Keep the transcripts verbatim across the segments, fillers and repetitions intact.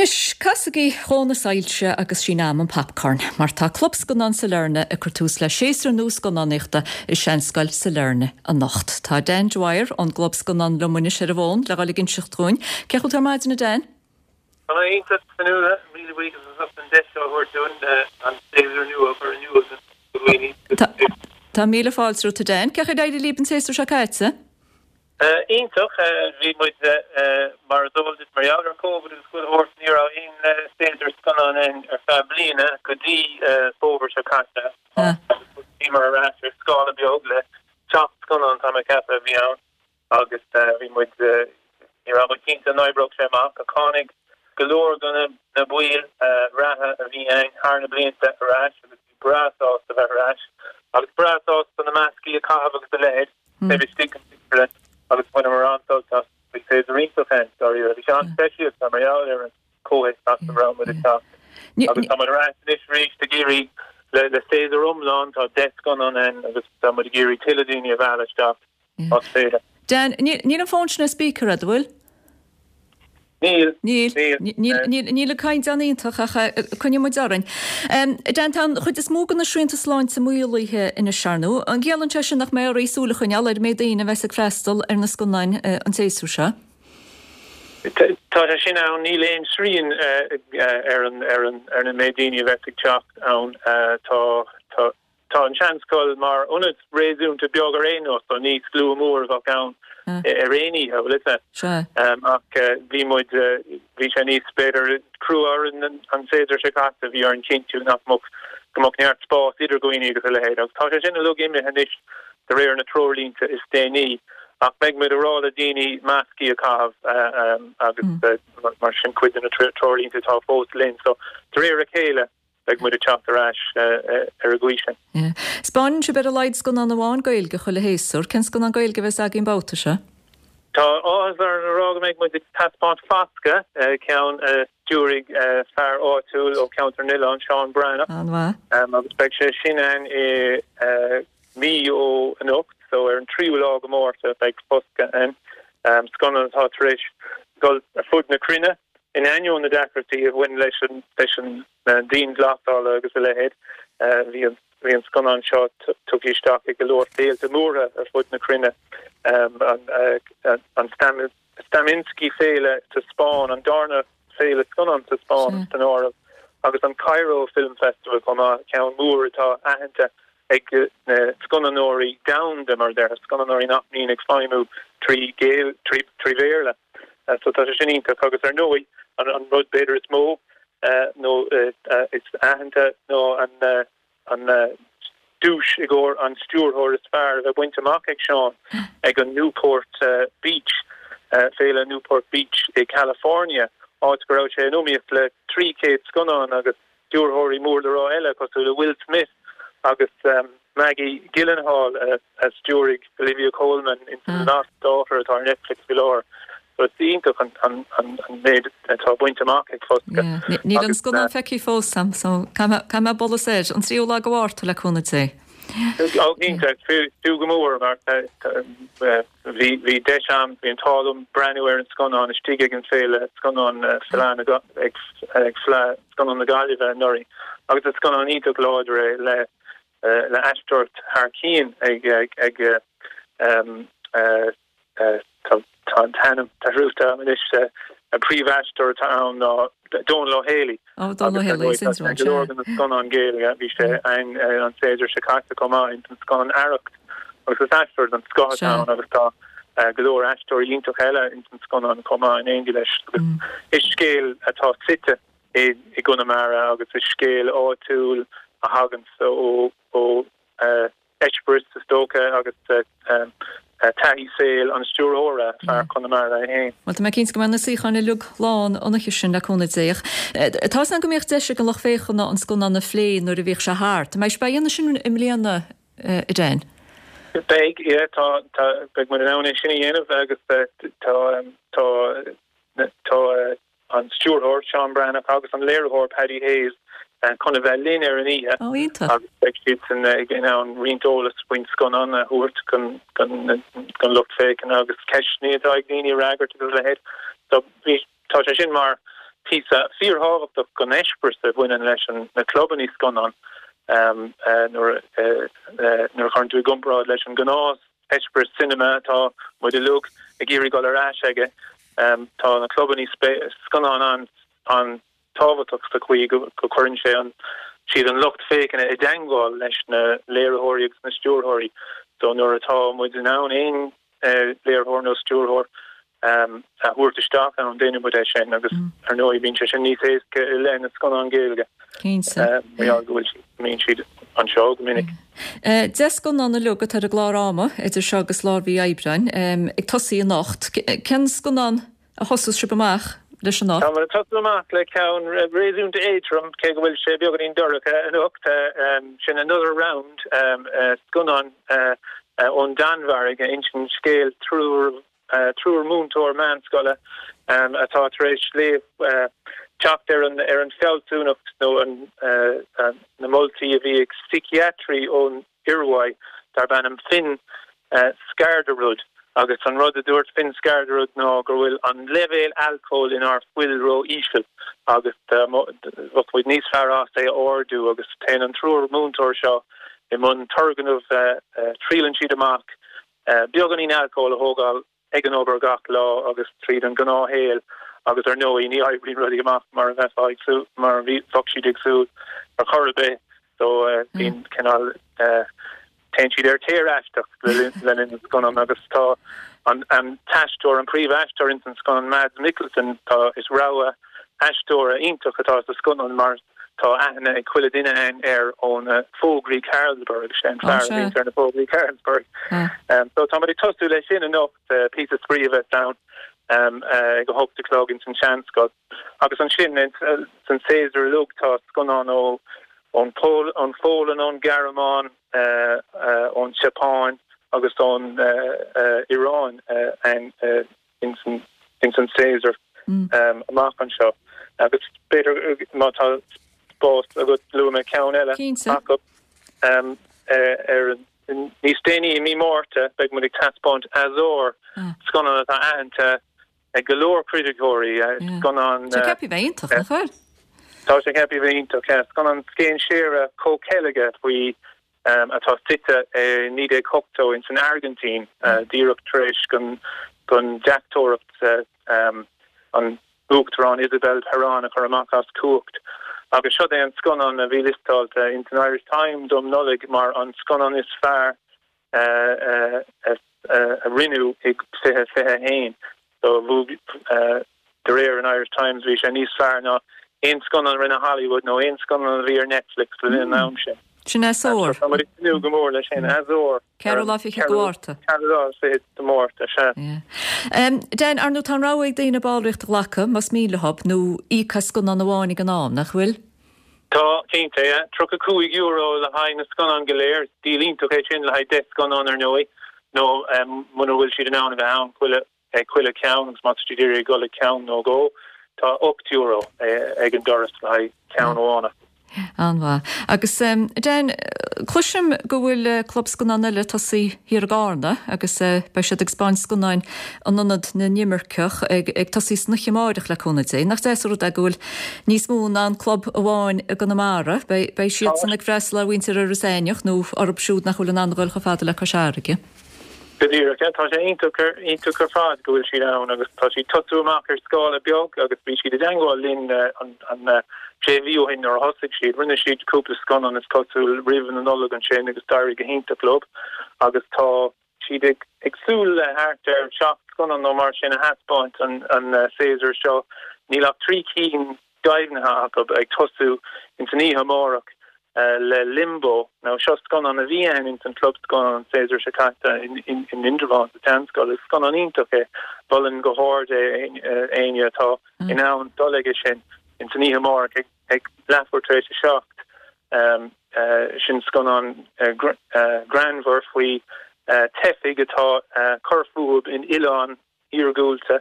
Anois, casaigí dhó na soilse agus sin am an popcorn, mar tá Club Scannán Sailearna ag cur tús le séasúr nua scannánaíochta i Seanscoil Sailearna anocht. Tá Dan Dwyer ón gClub Scannán liom anois ar an bhfón le dhul ag inseacht dúinn. Cén chaoi a bhfuil tú ar maidin, a Dan? Tá mé iontach, Fionnuala, míle buíochas as ucht an deis seo a thabhairt dúinn an séasúr nua a chur in iúl do dhaoine. Tá míle fáilte romhat, a Dan. Cén chaoi ar éirigh libh an séasúr seo caite? Iontach, bhí muid mar is eol duit mar gheall ar Covid agus chuile shórt, ní raibh aon séasúr scannán ann ar feadh bliana go dtí fómhar seo caite. Bhíomar ar ais ar scála beag le seacht scannán tá mé ag ceapadh a bhí ann agus bhí muid, ní raibh muid cinnte an oibreodh sé amach ach tháinig go leor de na baill reatha a bhí ann thar na blianta ar ais agus bhí breá sásta bheith ar ais agus breá sásta na mascaí a chaitheamh agus a leithéid taobh istigh den phictiúrlann agus bhaineamar an-sult as. Bhí séasúr iontach ann, dáiríre. Bhí sé an-speisialta mar gheall ar an chomhthéacs as a raibh muid ag teacht. Agus tá muid ar ais anois arís ag iarraidh le le séasúr iomlán, tá deich scannán ann agus tá muid ag iarraidh tuilleadh daoine a mhealladh isteach más féidir. Dan, níl an fón sin ar speaker agat, an bhfuil? Níl. Níl. Níl. Níl níl an caighdeán iontach ach coinneoidh muid orainn. Dan, tá an chuid is mó de na srianta sláinte maolaithe anois, ar ndóigh. An gciallaíonn sé sin nach mbeidh oraibh súil a choinneáil ar an méid daoine a bheas ag freastal ar na scannáin an tséasúr seo? Tá sé sin ann. Níl aon srian ar an ar an ar an méid daoine a bheas ag teacht ann. Tá tá Tá an Seanscoil mar ionad réasúnta beag ar aon nós, so ní slua mór a bheadh ann ar aon oíche, bhfuil fhios agat. Ach bhí muid, bhí sé níos, b'fhéidir, crua orainn an séasúr seo caite, bhí orainn cinntiú nach mbeadh, go mbeadh neart spás idir dhaoine agus a leithéid. Agus tá sé sin uilig imithe anois de réir na treoirlínte is déanaí. Ach beidh muid ag rá le daoine mascaí a chaitheamh agus mar sin cuid de na treoirlínte atá fós linn. So de réir a chéile, beidh muid ag teacht ar ais ar an gcaoi sin. 'Spáineann sibh ar a laghad scannán amháin Gaeilge chuile shéasúr. Cén scannán Gaeilge a bheas againn babhta seo? Tá áthas orainn a rá go mbeidh muid ag taispeáint Foscadh, ceann a stiúraigh fear áitiúil ó Cheantar na nOileán, Seán Breathnach. An-mhaith. Agus beidh sé sin ann i mí ó anocht, so ar an tríú lá de Mhárta beidh Foscadh ann. Scannán atá tar éis dul ar fud na cruinne in ainneoin na deacrachtaí a bhain leis an leis an dianghlasála agus a leithéid. Bhí an bhí an scannán seo tugtha isteach ag go leor féilte móra ar fud na cruinne, an an Stamensky Féile sa Spáinn, an darna féile scannán sa Spáinn san áireamh, agus an Cairo Film Festival chomh maith, ceann mór atá aitheanta ag na scannánóirí domhanda, mar a déarfá, scannánóirí nach mbíonn ag feidhmiú trí trí trí Bhéarla. So tá sé sin iontach agus ar ndóigh an an rud b'fhéidir is mó nó is aitheanta ná an an duais i gcomhair an stiúrthóir is fearr a bheith bainte amach ag Seán ag an Newport Beach, Féile Newport Beach i California, áit go raibh sé in iomaíocht le trí chéad scannán agus stiúrthóirí mór le rá eile cosúil le Will Smith agus Maggie Gyllenhaal a stiúraigh Olivia Colman in The Lost Daughter atá ar Netflix faoi láthair. So is iontach an méid atá bainte amach ag Foscadh. Níl an scannán feicthe fós agam so caithfidh mé bualadh soir an tríú lá de Mhárta le cúnamh Dé. Ó cinnte, fiú go mór mar bhí bhí deis agam, bhí an t-ádh liom breathnú ar an scannán istigh ag an féile scannán Fleadh na ag ag Fleadh Scannán na Gaillimhe anuraidh agus is scannán iontach láidir é le le aisteoireacht thar cinn ag ag ag Tá an t-ainm dearmadta agam anois. An príomhaisteoir atá ann ná Dónal Ó Héalaí. Ó, Dónal Ó Héalaí, sin Agus go leor de na scannáin Ghaeilge, bhí sé ann an séasúr seo caite chomh maith ins an scannán Arracht. Agus is aisteoir den scoth atá ann agus tá go leor aisteoirí iontach eile ins an scannán chomh maith in éindí leis. Agus is scéal atá suite i gConamara agus is scéal áitiúil a thaganns ó ó eispéireas, is dócha, agus taithí saoil an stiúrthóra, fear Chonamara é féin. Bhuel, tá mé cinnte go mbeidh na suíocháin uilig lán an oíche sin, le cúnamh Dé. Ach tá 'fhios a'm go mbíodh deis ag an lucht féachana an scannán a phlé nuair a bhíodh sé thart. An mbeidh sibh á dhéanamh sin i mbliana, a Dan? Beidh, yeah, tá, tá, beidh muid in ann é sin a dhéanamh agus tá, tá, tá, an stiúrthóir, Seán Breathnach, agus an léiritheoir, Paddy Hayes, chun a bheith linn ar an oíche agus beidh siadsan in ann roinnt eolas faoin scannán a thabhairt don lucht féachana agus ceisteanna atá ag daoine a fhreagairt agus a leithéid. So bhí, tá sé sin mar píosa fíorthábhachtach den eispéireas a bhaineann leis an na clubanna scannán nuair a chuireann tú i gcomparáid leis an gnáth eispéireas cinema atá muid uilig ag iarraidh dul ar ais aige. Tá na clubanna scannán an an tábhachtach sa chaoi go gcuireann sé an siad an lucht féachana i dteagmháil leis na léiritheoirí agus na stiúrthóirí. So nuair atá muid in ann aon léiritheoir nó stiúrthóir a thabhairt isteach ann déanann muid é sin agus ar ndóigh bíonn sé sin níos éasca i leith na scannán Gaeilge. Cinnte. Mar go bhfuil mbíonn siad anseo go minic. Deich scannán uilig atá ar an gclár ama idir seo agus lár mhí Aibreáin ag tosaí anocht. Cén scannán a thosós sibh amach leis anocht? Tá muid ag tosú amach le ceann réasúnta éadrom cé go bhfuil sé beagáinín dorcha anocht sin Another Round scannán ón Danmhairg a insíonn scéal triúr triúr múinteoir meánscoile atá tar éis léamh teacht ar an ar an fealsúnacht nó an na moltaí a bhí ag síciatraí ón Iorua darb ainm Finn Skarderud agus an rud a dúirt Finn Skarderud ná go bhfuil an leibhéal alcóil inár bhfuil ró-íseal agus bheadh muid níos fearr as é a ardú agus téann an triúr múinteoir seo i mbun turgnamh triaileann siad amach beagáinín alcóil a thógáil ag an obair gach lá agus tríd an ngnáthshaol agus ar ndóigh ní oibríonn rudaí amach mar a bheifeá ag súil mar a bheadh siad ag súil ar chor ar bith so bíonn cineál téann siad ar téar-aisteach le linn an scannán agus tá an an t-aisteoir an príomhaisteoir ins an scannán Mads Mikkelsen tá is rogha aisteora iontach atá sa scannán mar tá aithne ag chuile duine ann air ó na fógraí Carlsberg sé an fear a bhíonn ar na fógraí Carlsberg. Um, so tá muid ag tosú leis sin anocht uh, píosa spraoi a bheas ann um, uh, ag a hocht a chlog ins an Seanscoil. Agus ansin uh, san séasúr uilig tá scannán ó ón Pól ón Pholainn ón Ghearmáin uh, uh, ón Seapáin agus ón uh, uh, Iaráin uh, an uh, ins an ins an séasúr mm. um, amach anseo. Agus b'fhéidir má tá spás agat luafaidh mé ceann eile acu um, ar níos déanaí i mí Márta beidh muid ag taispeáint Azor ah. scannán atá aitheanta ag go leor criticeoirí scannán Tá ceaptha bheith iontach nach bhfuil? Tá sé ceaptha bheith iontach scannán scéinséara comhcheilge faoi um, atá suite i naoi déag ochtó in san Airgintín uh, díreach tar éis gon gon deachtóireacht uh, um, an uachtarán Isabel Perón a chur amach as cumhacht. Agus seo é an scannán a bhí liostáilte in an Irish Times um Nollaig mar an scannán is fearr uh, uh, uh, a rinneadh i fiche fiche haon. So uh, de réir an Irish Times bhí sé níos fearr ná aon scannán rinne Hollywood nó aon scannán a bhí ar Netflix le linn an am sin. Sin Azor. Nu go mór leis sin Azor. Ceathrú lá fiche de Mhárta. de Mhárta sé. Dan ar ndóigh tá an rogha ag daoine ballraíocht a ghlacadh más mian leo nó íoc as scannán amháin ag an am nach bhfuil? Tá cinnte tríocha cúig euro le haghaidh na scannán go léir díol iontach é sin le haghaidh deich scannán ar ndóigh nó muna bhfuil siad in ann a bheith ann chuile ag chuile ceann agus má tá siad ag dul ag ceann nó dhó tá ocht euro ag an doras le haghaidh ceann amháin. An-mhaith. Agus um, Dan cloisim go bhfuil uh, club scannán eile tosaithe thiar i gCarna agus uh, beidh siad ag taispeáint scannáin in ionad na n-imirceach ag, ag tosaí san oíche amárach le cúnamh Dé. Nach deas an rud é go bhfuil níos mó ná an club amháin i gConamara, beidh siad san ag freastal ar mhuintir Iorras Aithneach nó orthu siúd nach bhfuil in ann dul chomh fada le Cois Fharraige. Go díreach tá sé iontach iontach ar fad go bhfuil siad ann agus tá siad tosú amach ar scála beag agus bhí siad i dteagmháil linn an an sé mhí ó shin nuair a thosaigh siad rinne siad cúpla scannán is cosúil roimh an Nollaig ansin agus d'éirigh go hiontach leo agus tá siad ag ag súil le thart ar seacht scannán nó mar sin a thaispeáint an an séasúr seo níl ach trí cinn deimhnithe acu ag tosú in san oíche amárach le Limbo nó seo scannán a bhí ann in san club scannán an séasúr seo caite in in in Indreabhán sa tseanscoil is scannán iontach é mholfainn go hard é éinne atá in ann dul aige sin in san oíche amárach ag ag leathuair tar éis a seacht um, uh, sin scannán uh, uh, greannmhar faoi uh, teifigh atá uh, cur fúthu in oileán iargúlta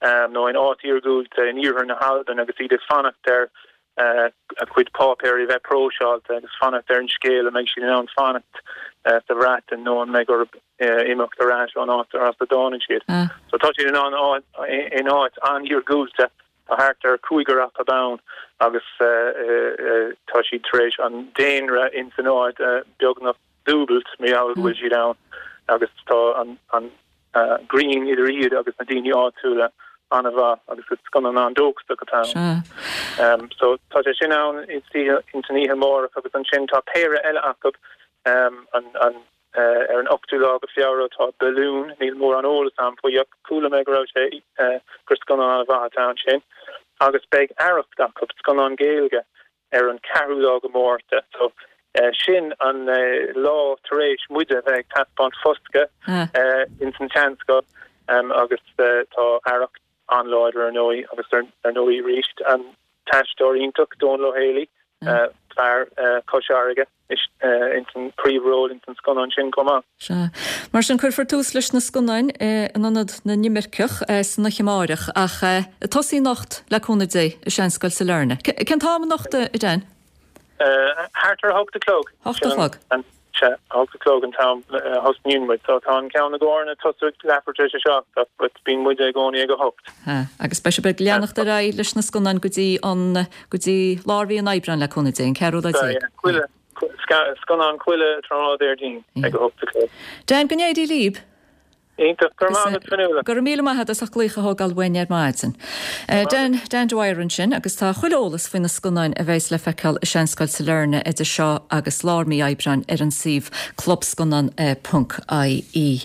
um, nó in áit iargúlta in iarthar na hAlban agus iad ag fanacht ar uh, a cuid páipéirí bheith próiseáilte agus fanacht ar an scéal a mbeidh siad in ann fanacht uh, sa Bhreatain nó an mbeidh orthu uh, imeacht ar ais ón áit ar as a dtáinig siad. Ah. So tá siad in an in áit an-iargúlta Tá thart ar cúigear acu ann agus tá siad tar éis an daonra ins an áit beagnach dúbailt mar gheall go bhfuil siad ann agus tá an an grian idir iad agus na daoine áitiúla an-mhaith agus is scannán an-dóchasach atá ann. So tá sé sin ann ins an oíche amárach agus ansin tá péire eile acu an an ar an ochtú lá go Feabhra tá Balloon, níl mórán eolas agam faoi ach chuala mé go raibh sé gur scannán an-mhaith atá ansin. Agus beidh Arracht acu, scannán Gaeilge, ar an ceathrú lá go Márta. So sin an lá tar éis muide a bheith ag taispeáint Foscadh ins an tSeanscoil agus tá Arracht an-láidir ar ndóigh agus ar ndóigh arís an t-aisteoir iontach Dónal Ó Héalaí, fear Chois Fharraige, ins an príomhról ins an scannán sin chomh maith. Sea. Mar sin, cuirfear tús leis na scannáin in Ionad na nImirceach san oíche amárach ach ag tosaí anocht, le cúnamh Dé, i Seanscoil Sailearna. Cén t-am anocht, a Dan? Thart ar a hocht a chlog. Hocht a chlog. Sea, a hocht a chlog an t-am a thosnaíonn muid. So tá an ceann i gCárna ag tosú ag leathuair tar éis a seacht ach but bíonn muide i gcónaí ag a hocht. Sea, agus beidh sibh ag leanacht ar aghaidh leis na scannáin go dtí an, go dtí lár mhí an Aibreáin le cúnamh Dé, an ceathrú lá déag. Sea, chuile, scannán chuile tráthnóna Déardaoin ag a hocht a chlog. Dan, go n-éirí libh! Iontach, go raibh maith agat Fionnuala. Go raibh míle maith agat as ucht glaoch a thógáil uainn ar maidin. Dan, Dan Dwyer ansin agus tá chuile eolas faoi na scannáin a bheas le feiceáil i Seanscoil Sailearna idir seo agus lár mí Aibreáin ar an suíomh clubscannán ponc ie.